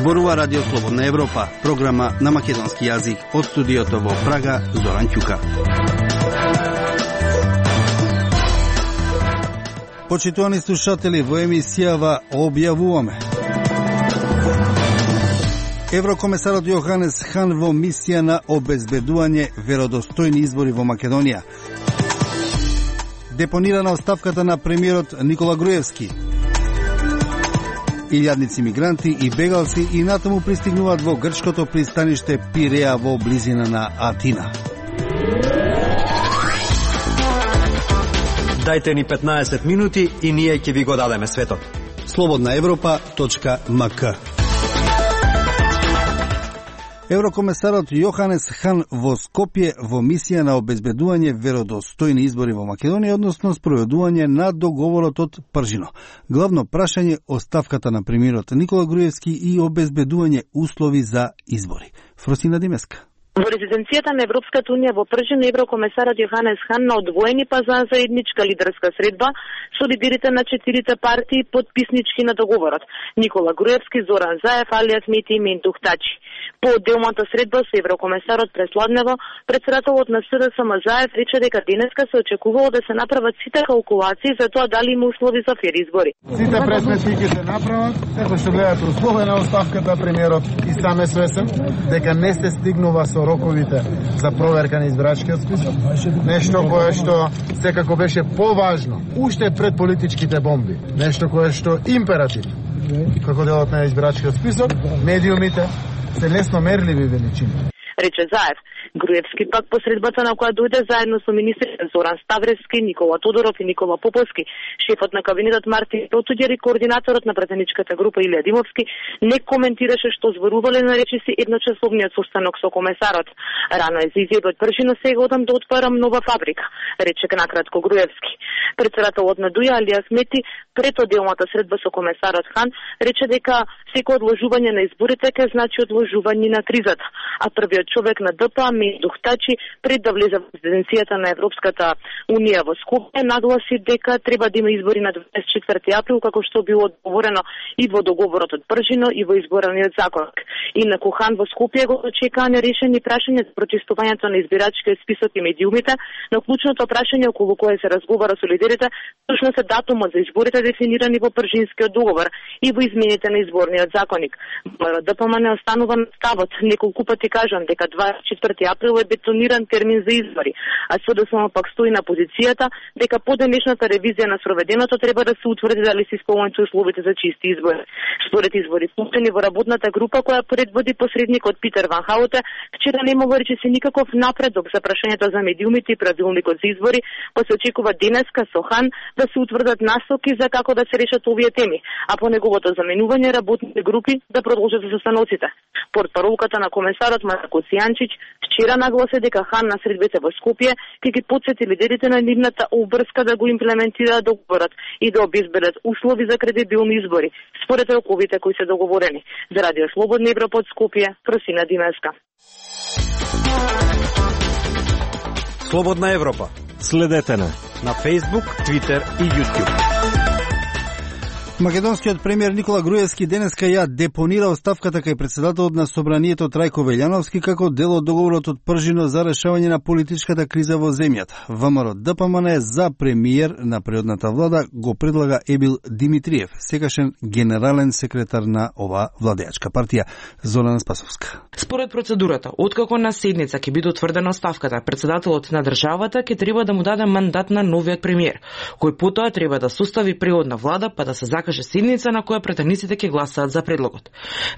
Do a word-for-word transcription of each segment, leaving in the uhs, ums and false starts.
Зборува Радио Слободна Европа, програма на македонски јазик од студиото во Прага, Зоран Ќука. Почитувани слушатели, во емисијава објавуваме: Еврокомесарот Јоханес Хан во мисија на обезбедување веродостојни избори во Македонија. Депонирана оставката на премиерот Никола Груевски. Илјадници мигранти и бегалци и натаму пристигнуваат во грчкото пристаниште Пиреа во близина на Атина. Дајте ни петнаесет минути и ние ќе ви го дадеме светот. слободна европа точка ем ка. Еврокомесарот Јоханес Хан во Скопје во мисија на обезбедување веродостојни избори во Македонија, односно спроведување на договорот од Пржино. Главно прашање оставката на премиерот Никола Груевски и обезбедување услови за избори. Фросина Димеска. Во резиденцијата на Европската унија во Пржино, еврокомесарот Јоханес Хан на одвоени па за заедничка лидерска средба со лидерите на четирите партии подписнички на договорот: Никола Груевски, Зоран Заев, Али Ахмети и Ментух Тачи. По одделната средба со еврокомесарот пресладнево, председателот на С Д С М Заев рече дека денеска се очекувало да се направат сите калкулации за тоа дали има услови за фер избори. Сите пресметки ќе се направат, како што гледате условия на оставката, премиерот и сам е свесен дека не се стигнува со роковите за проверка на избирачкиот список, нешто кое што секако беше поважно уште пред политичките бомби, нешто кое што императив како делот на избирачкиот список, медиумите се лесно мерливи величини. Рече Заев. Груевски пак по средбата на која дојде заедно со министрите Зоран Ставревски, Никола Тодоров и Никола Поповски, шефот на кабинетот Мартин Потуѓер и координаторот на претеничката група Илија Димовски не коментираше што зборувале на речиси едночасовниот состанок со комесарот. Рано е за изјави од Пржино, сега одам да отварам нова фабрика, рече накратко Груевски. Председателот на Дуја Али Ахмети пред одделната средба со комесарот Хан рече дека секој одложување на изборите ќе значи одложување на кризата, а првиот човек на Д П А Ментух Тачи пред да влезе во резиденцијата на Европската унија во Скопје нагласи дека треба да има избори на дваесет и четврти април, како што било договорено и во договорот од Пржино и во изборниот законник. Инаку Хан во Скопје го очекаа нерешени прашања за прочистувањето на избирачкиот список и медиумите, но клучното прашање околу кое се разговара со лидерите точно се датумот за изборите дефинирани во Пржинскиот договор и во измените на изборниот законник. Д П М не останува на ставот. Неколку пати кажам дека дваесет и четврти април е бетониран термин за избори, а С Д С М пак стои на позицијата дека по денешната ревизија на спроведеното треба да се утврди дали се исполнуваат условите за чисти избори. Според извори пуштени во работната група која предводи посредникот Питер Ван Хауте, вчера не имало речиси никаков напредок за прашањето за медиумите и правилникот за избори, па се очекува денеска со Хан да се утврдат насоки за како да се решат овие теми, а по неговото заменување работните групи да продолжат со состаноците. Портпаролката на комесарот Марко Цијанчич вчера нагласи дека Хан на средбите во Скопје ќе ги потсети лидерите на нивната обврска да го имплементираат договорот и да обезбедат услови за кредибилни избори, според роковите кои се договорени. За Радио Слободна Европа од Скопје, Просина Димеска. Слободна Европа. Следете на на Facebook, Twitter и YouTube. Македонскиот премиер Никола Груевски денеска ја депонира оставката кај председателот на Собранието Трајко Велјановски како дел од договорот од Пржино за решавање на политичката криза во земјата. ВМРО Д П М Н за премиер на предходната влада го предлага Ебил Димитриев, секашен генерален секретар на оваа владеачка партија. Зорана Спасовска. Според процедурата, откако на седница ќе биде утврдена оставката, председателот на државата ќе треба да му даде мандат на новиот премиер, кој потоа треба да состави преходна влада па да се закаже седница на која претениците ќе гласаат за предлогот.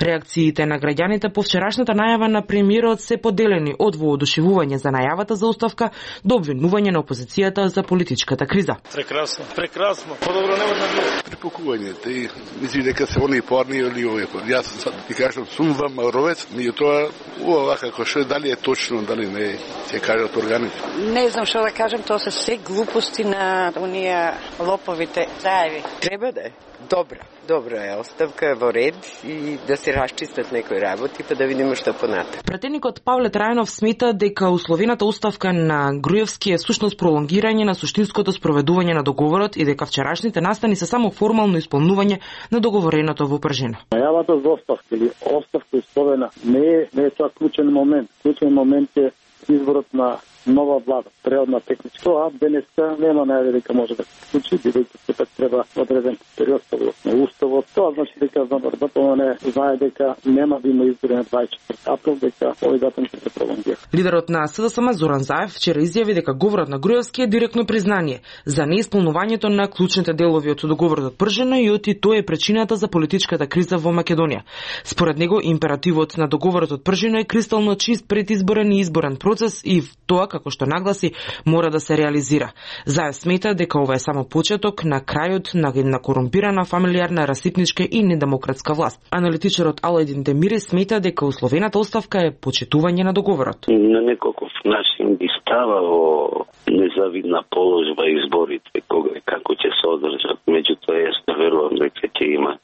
Реакциите на граѓаните по вчерашната најава на премиерот се поделени од воодушевување за најавата за оставка до обвинување на опозицијата за политичката криза. Прекрасно, прекрасно. Подобро не може да биде. Препокувањето и мисли дека се они порни или овие. Јас сад ти кажам сум ВМРО-вец, меѓутоа ова како што дали е точно, дали не е, ќе кажат органите. Не знам што да кажам, тоа се се глупости на оние лоповите заеви. Треба да е. Добра, добра е оставка, е во ред и да се расчистат некои работи, па да видиме што понатаму. Пратеникот Павле Трајанов смета дека условената оставка на Груевски е сушност пролонгирање на суштинското спроведување на договорот и дека вчерашните настани се само формално исполнување на договореното во Пржина. Најавата за оставка или оставка исполнена не е, не е тоа клучен момент. Клучен момент е изборот на нова влада, преодна техничка. Тоа денеска нема најаве дека може да се случи, бидејќи сепак треба одреден период согласно уставот. Тоа значи дека ДПМН знае дека нема да има избори на дваесет и четврти април, дека овој датум ќе се пролонгира. Лидерот на СДСМ Зоран Заев вчера изјави дека говорот на Груевски е директно признание за неисполнувањето на клучните делови од договорот од Пржина и оти тоа е причината за политичката криза во Македонија. Според него императивот на договорот од Пржина е кристално чист предизборен и изборен процес и тоа, како што нагласи, мора да се реализира. Заев смета дека ова е само почеток на крајот на една корумпирана, фамилиарна, расипничка и недемократска власт. Аналитичарот Алајдин Демири смета дека условената оставка е почитување на договорот. На неколку начин би ставало незавидна положба изборите, кога и како ќе се одржат. Меѓутоа, јас не верувам дека ќе има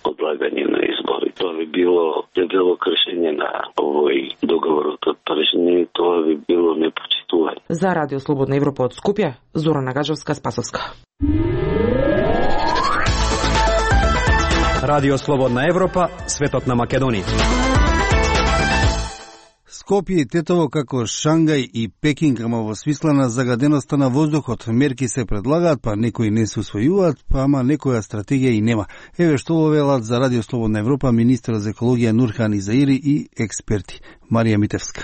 одлагање на избори. Тоа би било дебело кршење на овој договорот од Пржина и тоа би било непочитување. За Радио Слободна Европа од Скопје, Зорана Гаджевска-Спасовска. Радио Слободна Европа, светот на Македонија. Скопје и Тетово како Шангај и Пекинг, ама во смисла на загаденоста на воздухот. Мерки се предлагаат, па некои не се усвојуваат, па ама некоја стратегија и нема. Еве што велат за Радио Слободна Европа министерот за екологија Нурхан Изаири и експерти. Марија Митевска.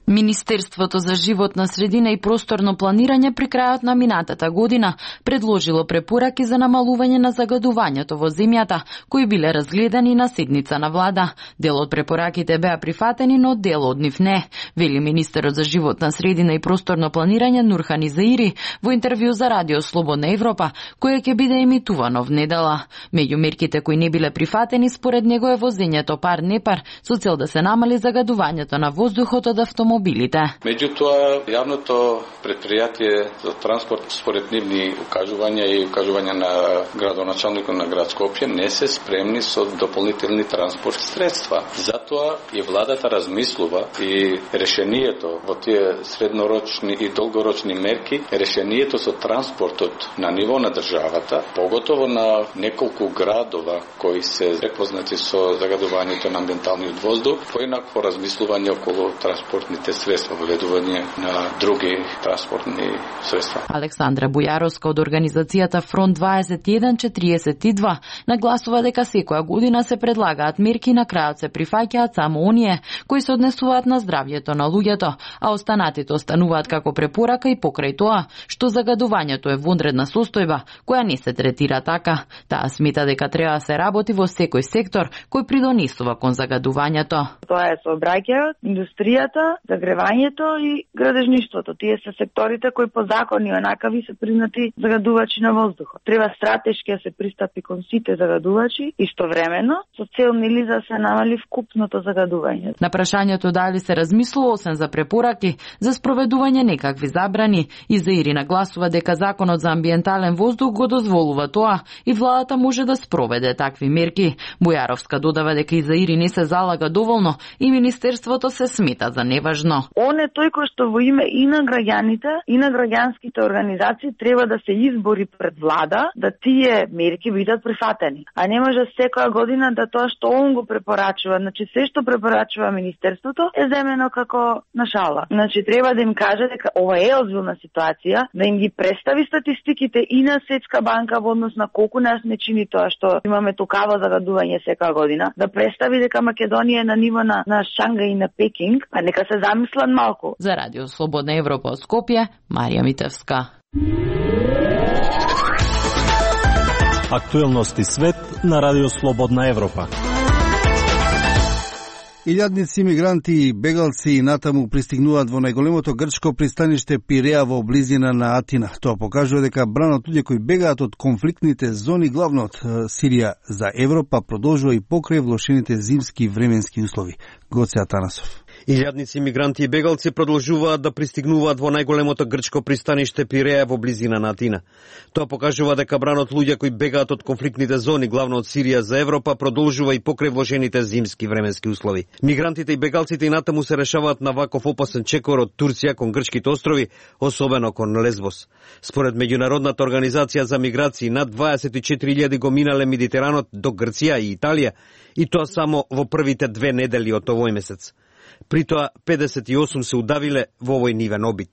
Министерството за животна средина и просторно планирање при крајот на минатата година предложило препораки за намалување на загадувањето во земјата, кои биле разгледани на седница на влада. Дел од препораките беа прифатени, но дел од нив не, вели министерот за животна средина и просторно планирање Нурхан Изаири во интервју за Радио Слободна Европа, кое ќе биде емитувано внедела. Меѓу мерките кои не биле прифатени, според него е возењето пар-непар со цел да се намали загадувањето на воздухот од автомобилите. Меѓутоа, јавното предпријатие за транспорт, според нивни укажувања и укажувања на градоначалникот на град Скопје, не се спремни со дополнителни транспорт средства. Затоа и владата размислува и решението во тие среднорочни и долгорочни мерки, решението со транспортот на ниво на државата, поготово на неколку градова кои се препознати со загадувањето на амбиенталниот воздух, поинакво размислување околу транспортните средства, воведување на други транспортни средства. Александра Бујаровска од организацијата Фронт дваесет и еден четириесет и два нагласува дека секоја година се предлагаат мерки, на крајот се прифаќаат само оние кои се однесуваат на здравјето на луѓето, а останатите остануваат како препорака и покрај тоа што загадувањето е вонредна состојба која не се третира така. Таа смета дека треба да се работи во секој сектор кој придонесува кон загадувањето. Тоа е сообраќајот, индустријата, загревањето и градежништвото. Тие се секторите кои по закони онакави се признати загадувачи на воздухот. Треба стратешки да се пристапи кон сите загадувачи истовремено со цел нели да се намали вкупното загадување. На прашањето дали се размислува освен за препораки за спроведување некакви забрани, Изаири нагласува дека законот за амбиентален воздух го дозволува тоа и владата може да спроведе такви мерки. Бујаровска додава дека Изаири не се залага доволно и министерството се смета за неважно. Он е тој кој што во име и на граѓаните и на граѓанските организации треба да се избори пред влада да тие мерки бидат прифатени. А не може секоја година да тоа што он го препорачува, значи се што препорачува министерството е земено како на шала. Значи треба да им каже дека ова е озбилна ситуација, да им ги представи статистиките и на Светска банка во однос на колку нас не чини тоа што имаме токава загадување секоја година, да представи дека Македонија е на ниво на, на Шангај и на Пекинг, а нека се замислат малку. За Радио Слободна Европа од Скопје, Марија Митевска. Актуелности свет на Радио Слободна Европа. Илјадници мигранти и бегалци натаму пристигнуваат во најголемото грчко пристаниште Пиреа во близина на Атина. Тоа покажува дека бранот луѓе кои бегаат од конфликтните зони, главно од Сирија, за Европа продолжува и покрај влошените зимски временски услови. Гоце Атанасов. Илјадници мигранти и бегалци продолжуваат да пристигнуваат во најголемото грчко пристаниште Пиреја во близина на Атина. Тоа покажува дека бранот луѓе кои бегаат од конфликтните зони, главно од Сирија за Европа, продолжува и покрај вложените зимски временски услови. Мигрантите и бегалците и натаму се решаваат на ваков опасен чекор од Турција кон грчките острови, особено кон Лесбос. Според меѓународната организација за миграции, над дваесет и четири илјади го минале Медитеранот до Грција и Италија, и тоа само во првите две недели од овој месец. При тоа педесет и осум се удавиле во овој нивен обид.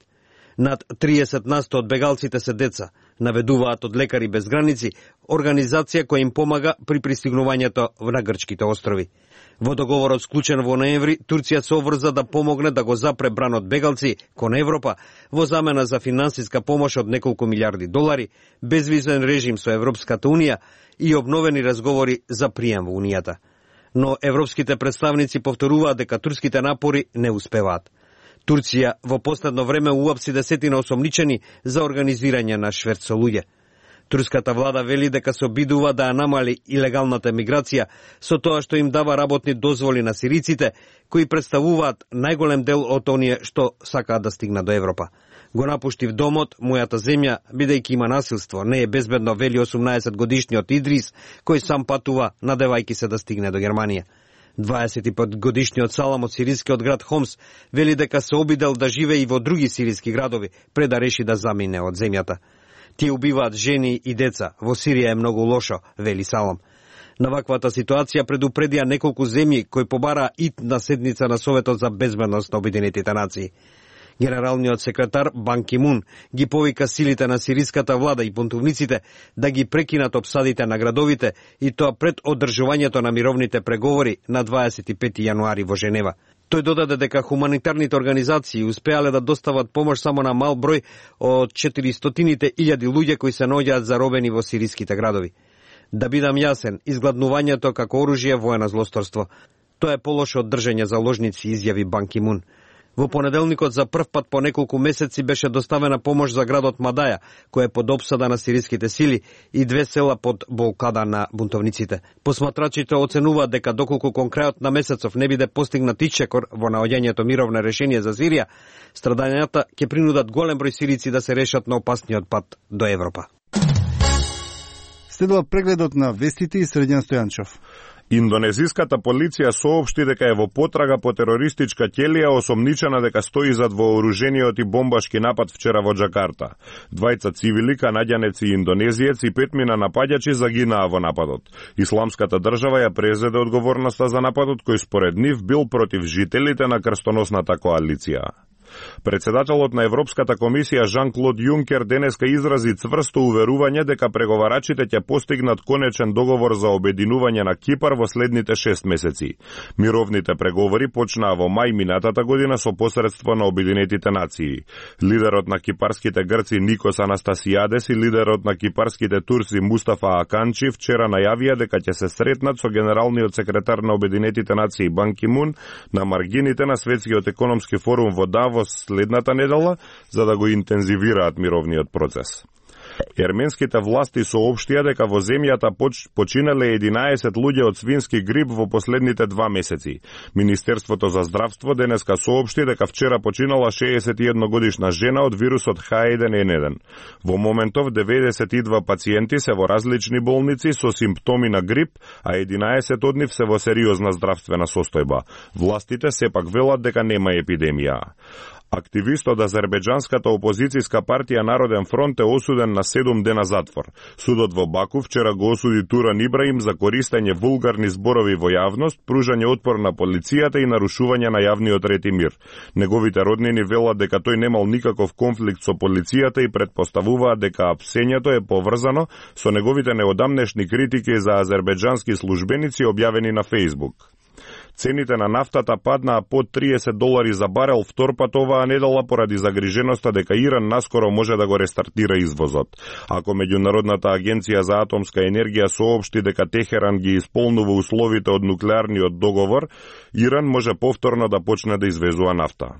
Над триесет насто од бегалците се деца, наведуваат од Лекари без граници, организација која им помага при пристигнувањето на грчките острови. Во договорот склучен во ноември, Турција се обврза да помогне да го запре бранот бегалци кон Европа во замена за финансиска помош од неколку милиарди долари, безвизен режим со Европската унија и обновени разговори за прием во унијата. Но европските представници повторуваат дека турските напори не успеваат. Турција во последно време уапси десетина осомничени за организирање на шверт со луѓе. Турската влада вели дека се обидува да ја намали илегалната миграција со тоа што им дава работни дозволи на сириците, кои представуваат најголем дел од оние што сакаат да стигнат до Европа. Го напуштив домот, мојата земја, бидејќи има насилство, не е безбедно, вели осумнаесет годишниот Идрис, кој сам патува, надевајќи се да стигне до Германија. дваесет и пет годишниот Салам од сирискиот град Хомс вели дека се обидел да живее и во други сириски градови, пред да реши да замине од земјата. Тие убиваат жени и деца. Во Сирија е многу лошо, вели Салам. На ваквата ситуација предупредија неколку земји кои побараа ит на седница на Советот за безбедност на Обединетите нации. Генералниот секретар Бан Ки Мун ги повика силите на сириската влада и бунтовниците да ги прекинат опсадите на градовите, и тоа пред одржувањето на мировните преговори на дваесет и пети јануари во Женева. Тој додаде дека хуманитарните организации успеале да достават помош само на мал број од четиристотините илјади луѓе кои се наоѓаат заробени во сириските градови. Да бидам јасен, изгладнувањето како оружје е воено злосторство. Тоа е полошо од држење заложници, изјави Бан Ки Мун. Во понеделникот за прв пат по неколку месеци беше доставена помош за градот Мадаја, кој е под опсада на сириските сили, и две села под блокада на бунтовниците. Посматрачите оценуваат дека доколку кон крајот на месецов не биде постигнат ичекор во наоѓањето мировно решение за Сирија, страдањата ќе принудат голем број сирици да се решат на опасниот пат до Европа. Следува прегледот на вестите и Средјан Стојанчов. Индонезиската полиција соопшти дека е во потрага по терористичка ќелија осомничена дека стои зад вооружениот и бомбашки напад вчера во Џакарта. Двајца цивили, канаѓанец и индонезиец, и петмина напаѓачи загинаа во нападот. Исламската држава ја презеде одговорноста за нападот, кој според нив бил против жителите на крстоносната коалиција. Председателот на Европската комисија Жан-Клод Јункер денеска изрази цврсто уверување дека преговарачите ќе постигнат конечен договор за обединување на Кипар во следните шест месеци. Мировните преговори почнаа во мај минатата година со посредство на Обединетите нации. Лидерот на кипарските грци Никос Анастасијадес и лидерот на кипарските турци Мустафа Аканчи вчера најавија дека ќе се сретнат со генералниот секретар на Обединетите нации Бан Ки Мун на маргините на Светскиот економски форум во Давос следната недела, за да го интензивираат мировниот процес. Ерменските власти соопштија дека во земјата поч, починале единаесет луѓе од свински грип во последните два месеци. Министерството за здравство денеска соопшти дека вчера починала шеесет и една годишна жена од вирусот H еден N еден. Во моментов деветдесет и два пациенти се во различни болници со симптоми на грип, а единаесет од нив се во сериозна здравствена состојба. Властите сепак велат дека нема епидемија. Активист од азербеџанската опозицијска партија Народен фронт е осуден на седум дена затвор. Судот во Баку вчера го осуди Туран Ибраим за користење вулгарни зборови во јавност, пружање отпор на полицијата и нарушување на јавниот ред и мир. Неговите роднини велат дека тој немал никаков конфликт со полицијата и претпоставуваат дека апсењето е поврзано со неговите неодамнешни критики за азербеџански службеници објавени на Фејсбук. Цените на нафтата паднаа под триесет долари за барел втор пат оваа недела поради загриженоста дека Иран наскоро може да го рестартира извозот. Ако Меѓународната агенција за атомска енергија соопшти дека Техеран ги исполнува условите од нуклеарниот договор, Иран може повторно да почне да извезува нафта.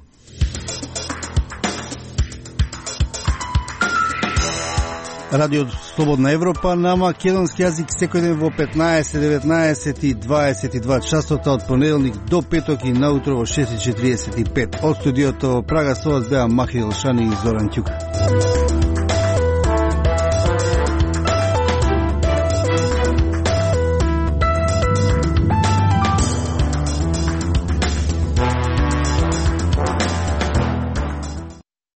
Радио Слободна Европа на македонски јазик секој ден во петнаесет, деветнаесет и дваесет и два часота од понеделник до петок и наутро во шест и четириесет и пет. Од студиото Прага со вас беа Махи Елшани и Зоран Ќука.